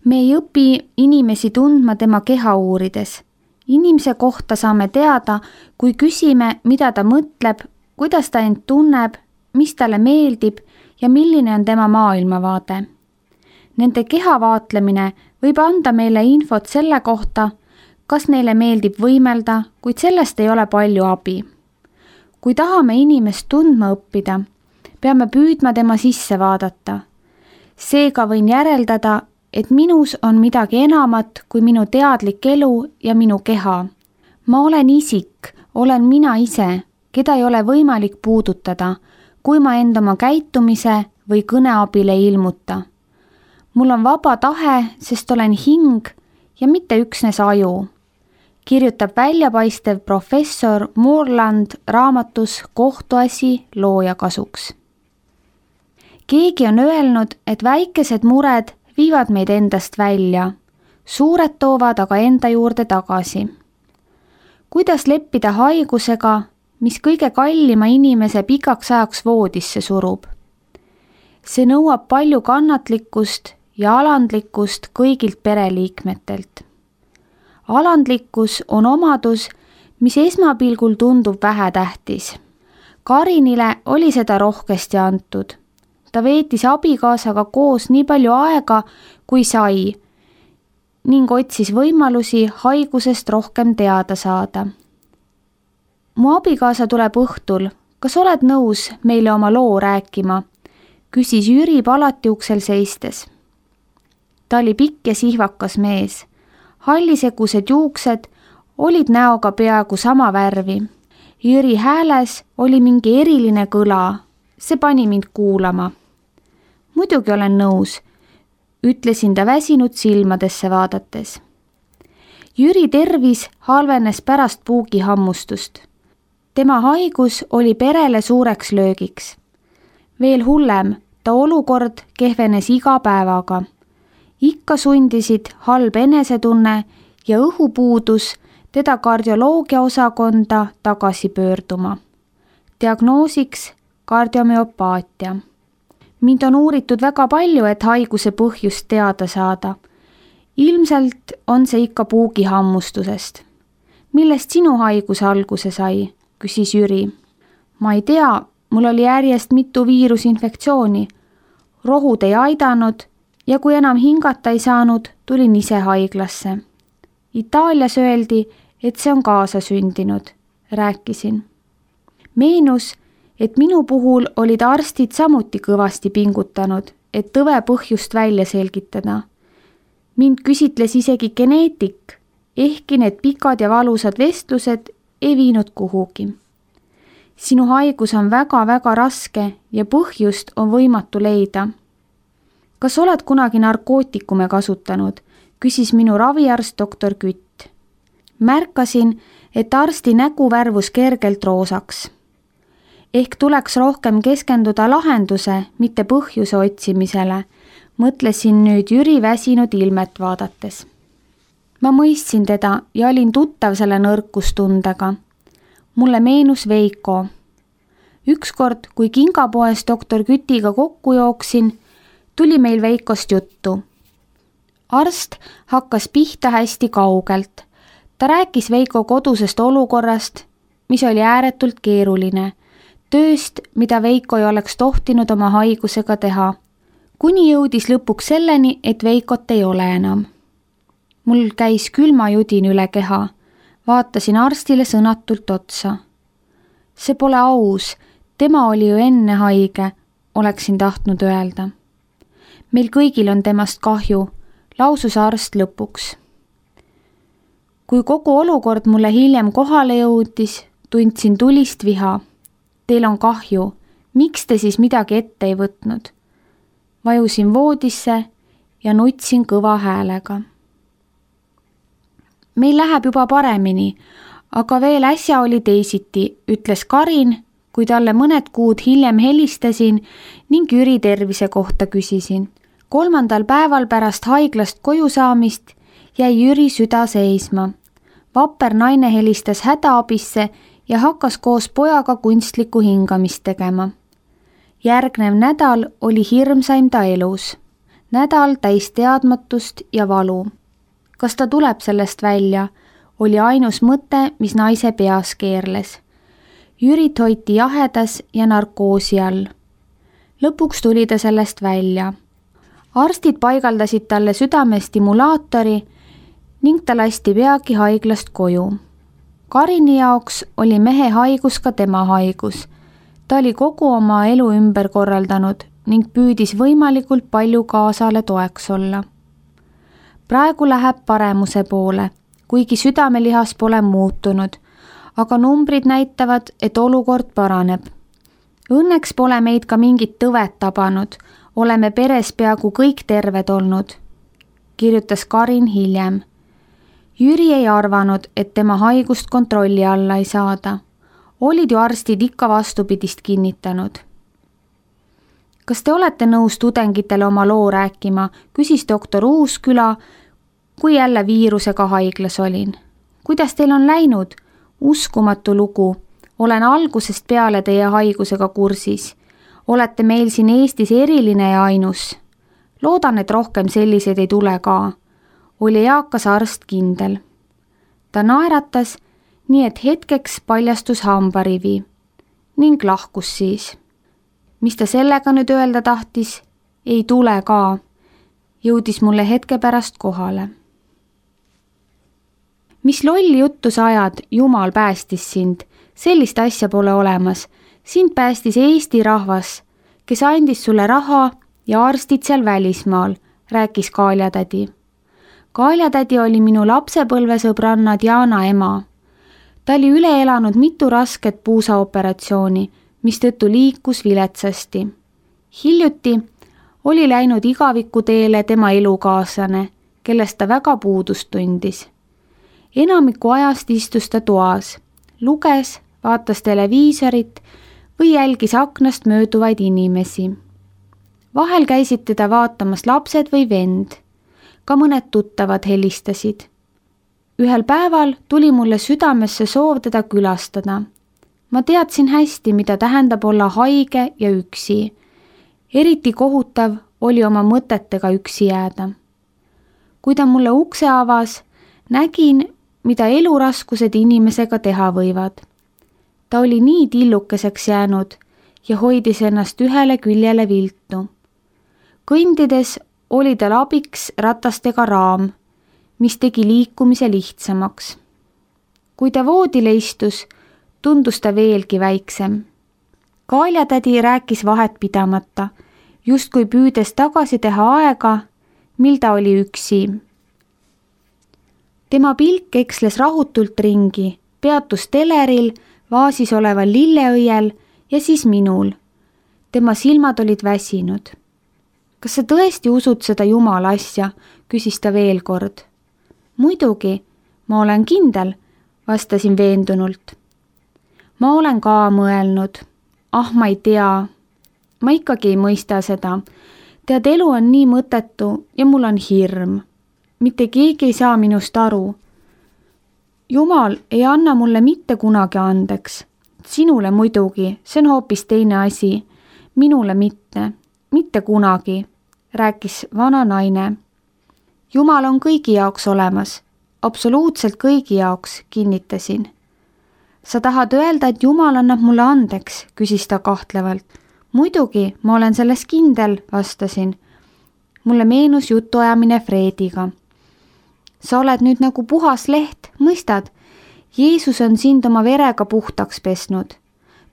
Me ei õpi inimesi tundma tema keha uurides. Inimese kohta saame teada, kui küsime, mida ta mõtleb, kuidas ta end tunneb, mis talle meeldib ja milline on tema maailmavaade. Nende keha vaatlemine võib anda meile infot selle kohta, kas neile meeldib võimelda, kuid sellest ei ole palju abi. Kui tahame inimest tundma õppida, peame püüdma tema sisse vaadata. Seega võin järeldada, et minus on midagi enamat kui minu teadlik elu ja minu keha. Ma olen isik, olen mina ise, keda ei ole võimalik puudutada, kui ma end oma käitumise või kõne abil ei ilmuta. Mul on vaba tahe, sest olen hing ja mitte üksnes aju, kirjutab väljapaistev professor Moorland raamatus Kohtuasi looja kasuks. Keegi on öelnud, et väikesed mured viivad meid endast välja, suured toovad aga enda juurde tagasi. Kuidas leppida haigusega, mis kõige kallima inimese pikaks ajaks voodisse surub? See nõuab palju kannatlikkust ja alandlikkust kõigilt pereliikmetelt. Alandlikkus on omadus, mis esmapilgul tundub vähetähtis. Karinile oli seda rohkesti antud. Ta veetis abikaasaga koos nii palju aega, kui sai, ning otsis võimalusi haigusest rohkem teada saada. Mu abikaasa tuleb õhtul, kas oled nõus meile oma loo rääkima? Küsis Jüri palati uksel seistes. Ta oli pikk ja sihvakas mees. Hallisegused juuksed olid näoga peaaegu sama värvi. Jüri hääles oli mingi eriline kõla. See pani mind kuulama. Muidugi olen nõus, ütlesin ta väsinud silmadesse vaadates. Jüri tervis halvenes pärast puugihammustust. Tema haigus oli perele suureks löögiks. Veel hullem, ta olukord kehvenes iga päevaga. Ikka sundisid halb enesetunne ja õhupuudus teda kardioloogia osakonda tagasi pöörduma. Diagnoosiks kardiomüopaatia. Mind on uuritud väga palju, et haiguse põhjust teada saada. Ilmselt on see ikka puugihammustusest. Millest sinu haigus alguse sai? Küsis Jüri. Ma ei tea, mul oli järjest mitu viirusinfektsiooni. Rohud ei aidanud ja kui enam hingata ei saanud, tulin ise haiglasse. Itaalias öeldi, et see on kaasasündinud, rääkisin. Meenus, et minu puhul olid arstid samuti kõvasti pingutanud, et tõve põhjust välja selgitada. Mind küsitles isegi geneetik, ehkki need pikad ja valusad vestlused ei viinud kuhugi. Sinu haigus on väga-väga raske ja põhjust on võimatu leida. Kas oled kunagi narkootikume kasutanud? Küsis minu raviarst doktor Kütt. Märkasin, et arsti nägu värvus kergelt roosaks. Ehk tuleks rohkem keskenduda lahenduse, mitte põhjuse otsimisele, mõtlesin nüüd Jüri väsinud ilmet vaadates. Ma mõistsin teda ja olin tuttav selle nõrkustundega. Mulle meenus Veiko. Ükskord, kui kingapoes doktor Kütiga kokku jooksin, tuli meil Veikost juttu. Arst hakkas pihta hästi kaugelt. Ta rääkis Veiko kodusest olukorrast, mis oli ääretult keeruline, tööst, mida Veiko ei oleks tohtinud oma haigusega teha, kuni jõudis lõpuks selleni, et Veikot ei ole enam. Mul käis külmajudin üle keha, vaatasin arstile sõnatult otsa. See pole aus, tema oli ju enne haige, oleksin tahtnud öelda. Meil kõigil on temast kahju, lausus arst lõpuks. Kui kogu olukord mulle hiljem kohale jõudis, tundsin tulist viha. Teil on kahju, miks te siis midagi ette ei võtnud? Vajusin voodisse ja nutsin kõva häälega. Meil läheb juba paremini, aga veel äsja oli teisiti, ütles Karin, kui talle mõned kuud hiljem helistasin ning Jüri tervise kohta küsisin. 3. päeval pärast haiglast koju saamist jäi Jüri süda seisma. Vapper naine helistas hädaabisse ja hakkas koos pojaga kunstlikku hingamist tegema. Järgnev nädal oli hirmsaim ta elus. nädal täis teadmatust ja valu. Kas ta tuleb sellest välja, oli ainus mõte, mis naise peas keerles. Jürit hoiti jahedas ja narkoosi all. Lõpuks tuli ta sellest välja. Arstid paigaldasid talle südamestimulaatori ning ta lasti peagi haiglast koju. Karini jaoks oli mehe haigus ka tema haigus. Ta oli kogu oma elu ümber korraldanud ning püüdis võimalikult palju kaasale toeks olla. Praegu läheb paremuse poole, kuigi südamelihas pole muutunud, aga numbrid näitavad, et olukord paraneb. Õnneks pole meid ka mingit tõvet tabanud, oleme peres peaaegu kõik terved olnud, kirjutas Karin hiljem. Jüri ei arvanud, et tema haigust kontrolli alla ei saada. Olid ju arstid ikka vastupidist kinnitanud. Kas te olete nõus tudengitele oma loo rääkima, küsis doktor Uusküla, kui jälle viirusega haiglas olin. Kuidas teil on läinud? Uskumatu lugu. Olen algusest peale teie haigusega kursis. Olete meil siin Eestis eriline ja ainus. Loodan, et rohkem selliseid ei tule ka. Oli eakas arst kindel. Ta naeratas, nii et hetkeks paljastus hambarivi ning lahkus siis. Mis ta sellega nüüd öelda tahtis? Ei tule ka. Jõudis mulle hetke pärast kohale. Mis lolli juttu sa ajad, Jumal päästis sind. Sellist asja pole olemas. Sind päästis Eesti rahvas, kes andis sulle raha ja arstid seal välismaal, rääkis Kaaljatädi. Kaaljatädi oli minu lapsepõlvesõbranna Diana ema. Ta oli üle elanud mitu rasket puusaoperatsiooni, mistõttu liikus viletsasti. Hiljuti oli läinud igavikuteele tema elukaaslane, kellest ta väga puudust tundis. Enamiku ajast istus ta toas, luges, vaatas televiisorit või jälgis aknast mööduvaid inimesi. Vahel käisid teda vaatamas lapsed või vend. Ka mõned tuttavad helistasid. Ühel päeval tuli mulle südamesse soov teda külastada. Ma teadsin hästi, mida tähendab olla haige ja üksi. Eriti kohutav oli oma mõtetega üksi jääda. Kui ta mulle ukse avas, nägin, mida eluraskused inimesega teha võivad. Ta oli nii tillukeseks jäänud ja hoidis ennast ühele küljele viltu. Kõndides oli tal abiks ratastega raam, mis tegi liikumise lihtsamaks. Kui ta voodile istus, tundus ta veelgi väiksem. Kaaljatädi rääkis vahet pidamata, justkui püüdes tagasi teha aega, mil ta oli üksi. Tema pilk eksles rahutult ringi, peatus teleril, vaasis oleval lilleõiel ja siis minul. Tema silmad olid väsinud. Kas sa tõesti usud seda Jumala asja, küsis ta veel kord. Muidugi, ma olen kindel, vastasin veendunult. Ma olen ka mõelnud. Ma ei tea. Ma ikkagi ei mõista seda. Tead, elu on nii mõttetu ja mul on hirm. Mitte keegi ei saa minust aru. Jumal ei anna mulle mitte kunagi andeks. Sinule muidugi, see on hoopis teine asi. Minule mitte kunagi, rääkis vana naine. Jumal on kõigi jaoks olemas. Absoluutselt kõigi jaoks, kinnitasin. Sa tahad öelda, et Jumal annab mulle andeks, küsis ta kahtlevalt. Muidugi, ma olen selles kindel, vastasin. Mulle meenus jutuajamine Frediga. Sa oled nüüd nagu puhas leht, mõistad? Jeesus on sind oma verega puhtaks pesnud.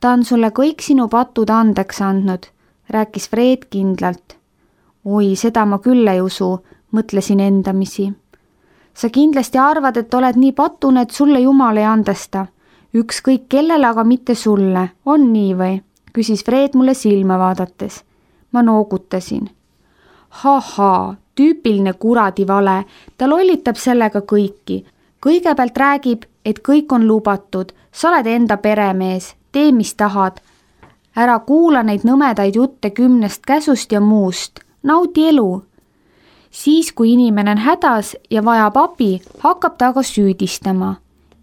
Ta on sulle kõik sinu patud andeks andnud, rääkis Fred kindlalt. Oi, seda ma küll ei usu, mõtlesin endamisi. Sa kindlasti arvad, et oled nii patune, et sulle Jumal ei andesta. Ükskõik kellele, aga mitte sulle. On nii või? Küsis Fred mulle silma vaadates. Ma noogutasin. Tüüpiline kuradi vale. Ta lollitab sellega kõiki. Kõigepealt räägib, et kõik on lubatud. Sa oled enda peremees. Tee, mis tahad. Ära kuula neid nõmedaid jutte 10 käsust ja muust. Naudi elu. Siis, kui inimene on hädas ja vajab abi, hakkab ta aga süüdistama.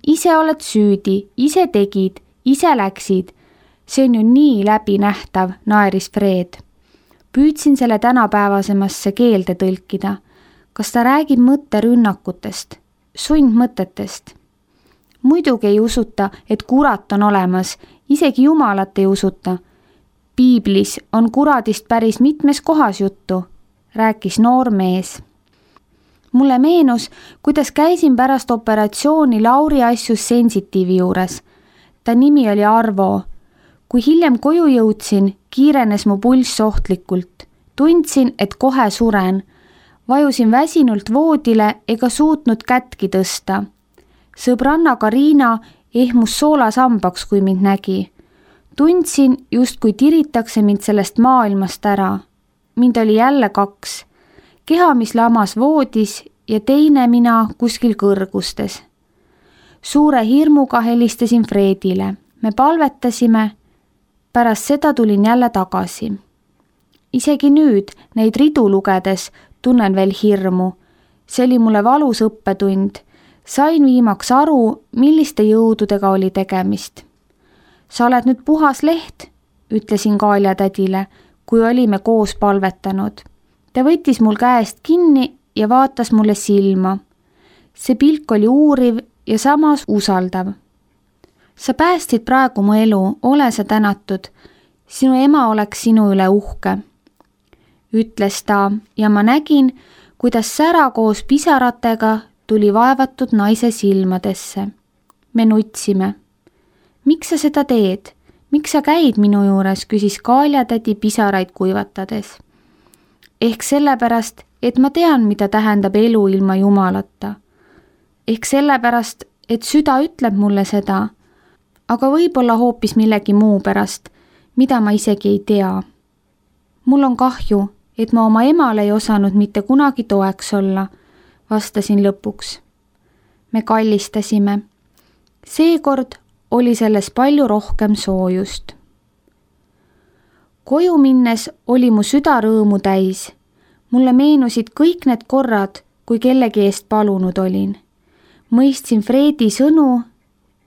Ise oled süüdi, ise tegid, ise läksid. See on ju nii läbinähtav, naeris Fred. Püüdsin selle tänapäevasemasse keelde tõlkida. Kas ta räägib mõtterünnakutest, sundmõtetest? Muidugi ei usuta, et kurat on olemas, isegi Jumalat ei usuta. Piiblis on kuradist päris mitmes kohas juttu, rääkis noor mees. Mulle meenus, kuidas käisin pärast operatsiooni Lauri asjus sensitiivi juures. Ta nimi oli Arvo. Kui hiljem koju jõudsin, kiirenes mu pulss ohtlikult. Tundsin, et kohe suren. Vajusin väsinult voodile ega suutnud kätki tõsta. Sõbranna Karina ehmus soolasambaks, kui mind nägi. Tundsin, justkui tiritakse mind sellest maailmast ära. Mind oli jälle 2. Keha, mis lamas voodis ja teine mina kuskil kõrgustes. Suure hirmuga helistasin Fredile. Me palvetasime. Pärast seda tulin jälle tagasi. Isegi nüüd, neid ridu lugedes, tunnen veel hirmu. See oli mulle valus õppetund. Sain viimaks aru, milliste jõududega oli tegemist. Sa oled nüüd puhas leht, ütlesin Kaalja tädile, kui olime koos palvetanud. Ta võttis mul käest kinni ja vaatas mulle silma. See pilk oli uuriv ja samas usaldav. Sa päästsid praegu mu elu, ole sa tänatud. Sinu ema oleks sinu üle uhke, ütles ta ja ma nägin, kuidas sära koos pisaratega tuli vaevatud naise silmadesse. Me nutsime. Miks sa seda teed? Miks sa käid minu juures, küsis Kaalja tädi pisaraid kuivatades. Ehk sellepärast, et ma tean, mida tähendab elu ilma Jumalata. Ehk sellepärast, et süda ütleb mulle seda, aga võib-olla hoopis millegi muu pärast, mida ma isegi ei tea. Mul on kahju, et ma oma emale ei osanud mitte kunagi toeks olla, vastasin lõpuks. Me kallistasime. Seekord oli selles palju rohkem soojust. Koju minnes oli mu süda rõõmu täis. Mulle meenusid kõik need korrad, kui kellegi eest palunud olin. Mõistsin Fredi sõnu,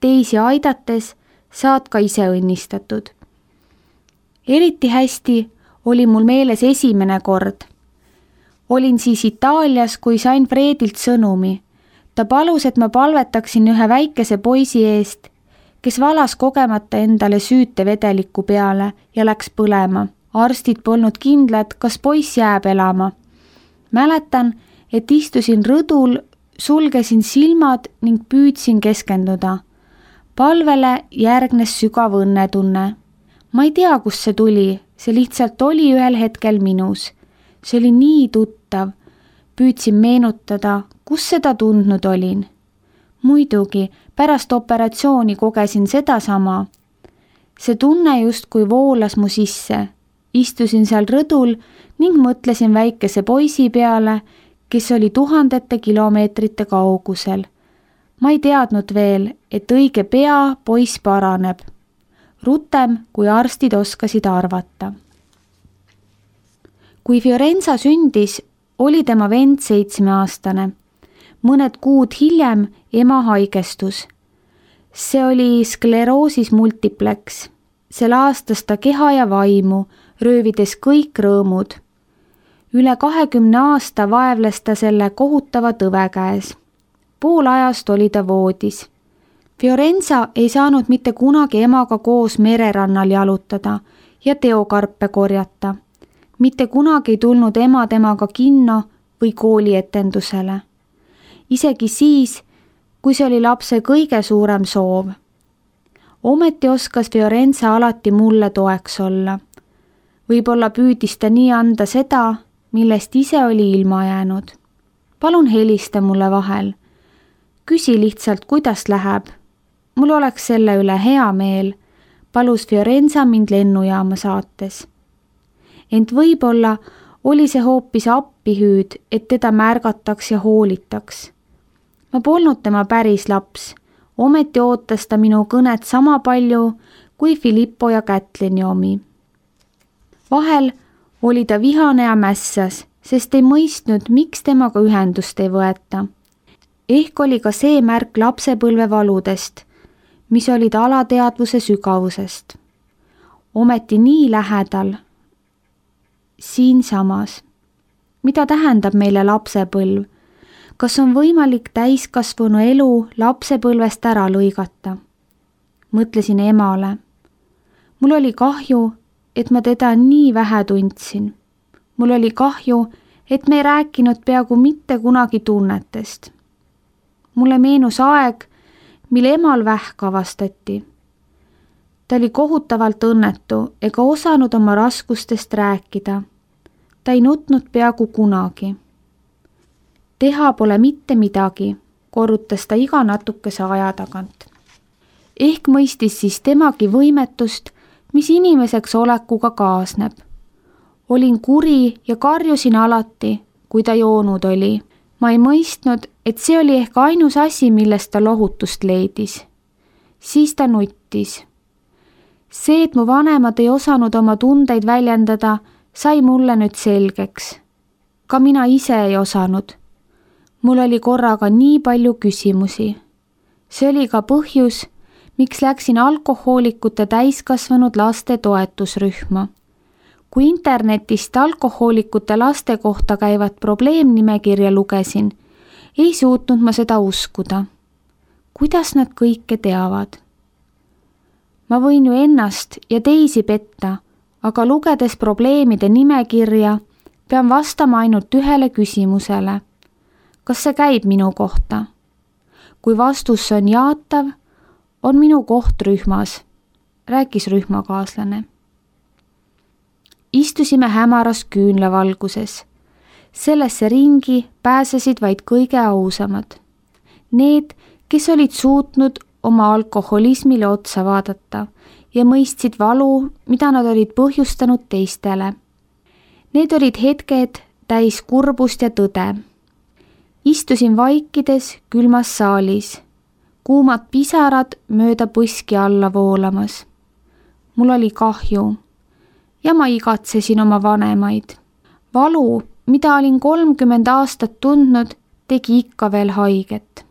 teisi aidates saad ka ise õnnistatud. Eriti hästi oli mul meeles esimene kord. Olin siis Itaalias, kui sain Fredilt sõnumi. Ta palus, et ma palvetaksin ühe väikese poisi eest, kes valas kogemata endale süütevedeliku peale ja läks põlema. Arstid polnud kindlad, kas poiss jääb elama. Mäletan, et istusin rõdul, sulgesin silmad ning püüdsin keskenduda. Palvele järgnes sügav õnnetunne. Ma ei tea, kust see tuli, see lihtsalt oli ühel hetkel minus. See oli nii tuttav. Püüdsin meenutada, kus seda tundnud olin. Muidugi, pärast operatsiooni kogesin sedasama. See tunne justkui voolas mu sisse. Istusin seal rõdul ning mõtlesin väikese poisi peale, kes oli tuhandete kilomeetrite kaugusel. Ma ei teadnud veel, et õige pea poiss paraneb. Rutem, kui arstid oskasid arvata. Kui Fiorenza sündis, oli tema vend 7-aastane. Mõned kuud hiljem ema haigestus. See oli skleroosis multiplex. See laastas ta keha ja vaimu, röövides kõik rõõmud. Üle 20 aasta vaevles ta selle kohutava tõve käes. Pool ajast oli ta voodis. Fiorenza ei saanud mitte kunagi emaga koos mererannal jalutada ja teokarpe korjata. Mitte kunagi ei tulnud ema temaga kinno või koolietendusele. Isegi siis, kui see oli lapse kõige suurem soov. Ometi oskas Fiorenza alati mulle toeks olla. Võib-olla püüdis ta nii anda seda, millest ise oli ilma jäänud. Palun helista mulle vahel. Küsi lihtsalt, kuidas läheb. Mul oleks selle üle hea meel, palus Fiorenza mind lennujaama saates. Ent võib-olla oli see hoopis appihüüd, et teda märgataks ja hoolitaks. Ma polnud tema päris laps, ometi ootas ta minu kõnet sama palju kui Filippo ja Kätlini omi. Vahel oli ta vihane ja mässas, sest ei mõistnud, miks temaga ühendust ei võeta. Ehk oli ka see märk lapsepõlve valudest, mis olid alateadvuse sügavusest. Ometi nii lähedal. siinsamas. Mida tähendab meile lapsepõlv? Kas on võimalik täiskasvanu elu lapsepõlvest ära lõigata? Mõtlesin emale. Mul oli kahju, et ma teda nii vähe tundsin. Mul oli kahju, et me ei rääkinud peaaegu mitte kunagi tunnetest. Mulle meenus aeg, mil emal vähk avastati. Ta oli kohutavalt õnnetu ega osanud oma raskustest rääkida. Ta ei nutnud peaaegu kunagi. Teha pole mitte midagi, korrutas ta iga natukese aja tagant. Ehk mõistis siis temagi võimetust, mis inimeseks olekuga kaasneb. Olin kuri ja karjusin alati, kui ta joonud oli. Ma ei mõistnud, et see oli ehk ainus asi, millest ta lohutust leidis. Siis ta nuttis. See, et mu vanemad ei osanud oma tundeid väljendada, sai mulle nüüd selgeks. Ka mina ise ei osanud. Mul oli korraga nii palju küsimusi. See oli ka põhjus, miks läksin alkohoolikute täiskasvanud laste toetusrühma. Kui internetist alkohoolikute laste kohta käivat probleemnimekirja lugesin, ei suutnud ma seda uskuda. Kuidas nad kõike teavad? Ma võin ju ennast ja teisi petta, aga lugedes probleemide nimekirja, pean vastama ainult ühele küsimusele. Kas see käib minu kohta? Kui vastus on jaatav, on minu koht rühmas, rääkis rühmakaaslane. Istusime hämaras küünlavalguses. Sellesse ringi pääsesid vaid kõige ausamad. Need, kes olid suutnud oma alkoholismile otsa vaadata ja mõistsid valu, mida nad olid põhjustanud teistele. Need olid hetked täis kurbust ja tõde. Istusin vaikides külmas saalis, kuumad pisarad mööda põski alla voolamas. Mul oli kahju ja ma igatsesin oma vanemaid. Valu, mida olin 30 aastat tundnud, tegi ikka veel haiget.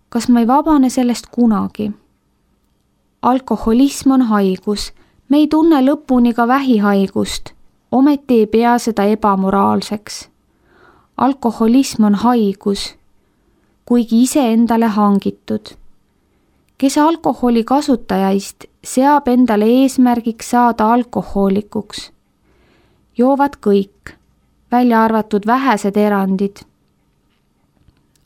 Kas ma ei vabane sellest kunagi? Alkoholism on haigus. Me ei tunne lõpuni ka vähihaigust. Ometi ei pea seda ebamoraalseks. Alkoholism on haigus, kuigi iseendale hangitud. Kes alkoholi kasutajaist seab endale eesmärgiks saada alkohoolikuks. Joovad kõik, välja arvatud vähesed erandid.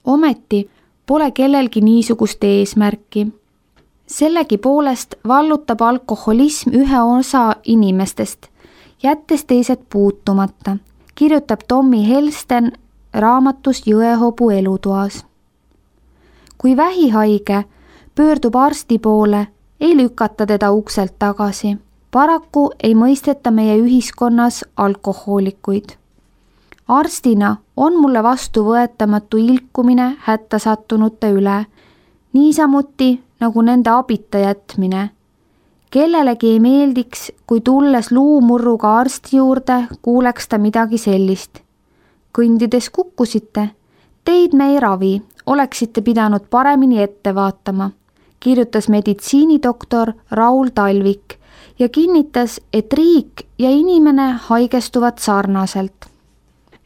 Ometi pole kellelgi niisugust eesmärki. Sellegipoolest vallutab alkoholism ühe osa inimestest, jättes teised puutumata, kirjutab Tommy Helsten raamatus Jõehobu elutoas. Kui vähihaige pöördub arsti poole, ei lükata teda ukselt tagasi. Paraku ei mõisteta meie ühiskonnas alkohoolikuid. Arstina on mulle vastuvõetamatu ilkumine hätta sattunute üle, niisamuti nagu nende abita jätmine. Kellelegi ei meeldiks, kui tulles luumurruga arsti juurde, kuuleks ta midagi sellist. Kõndides kukkusite, teid me ei ravi, oleksite pidanud paremini ette vaatama, kirjutas meditsiinidoktor Raul Talvik ja kinnitas, et riik ja inimene haigestuvad sarnaselt.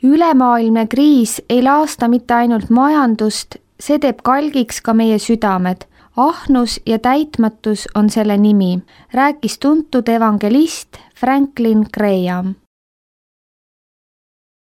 Ülemaailmne kriis ei laasta mitte ainult majandust, see teeb kalgiks ka meie südamed. Ahnus ja täitmatus on selle nimi, rääkis tuntud evangelist Franklin Graham.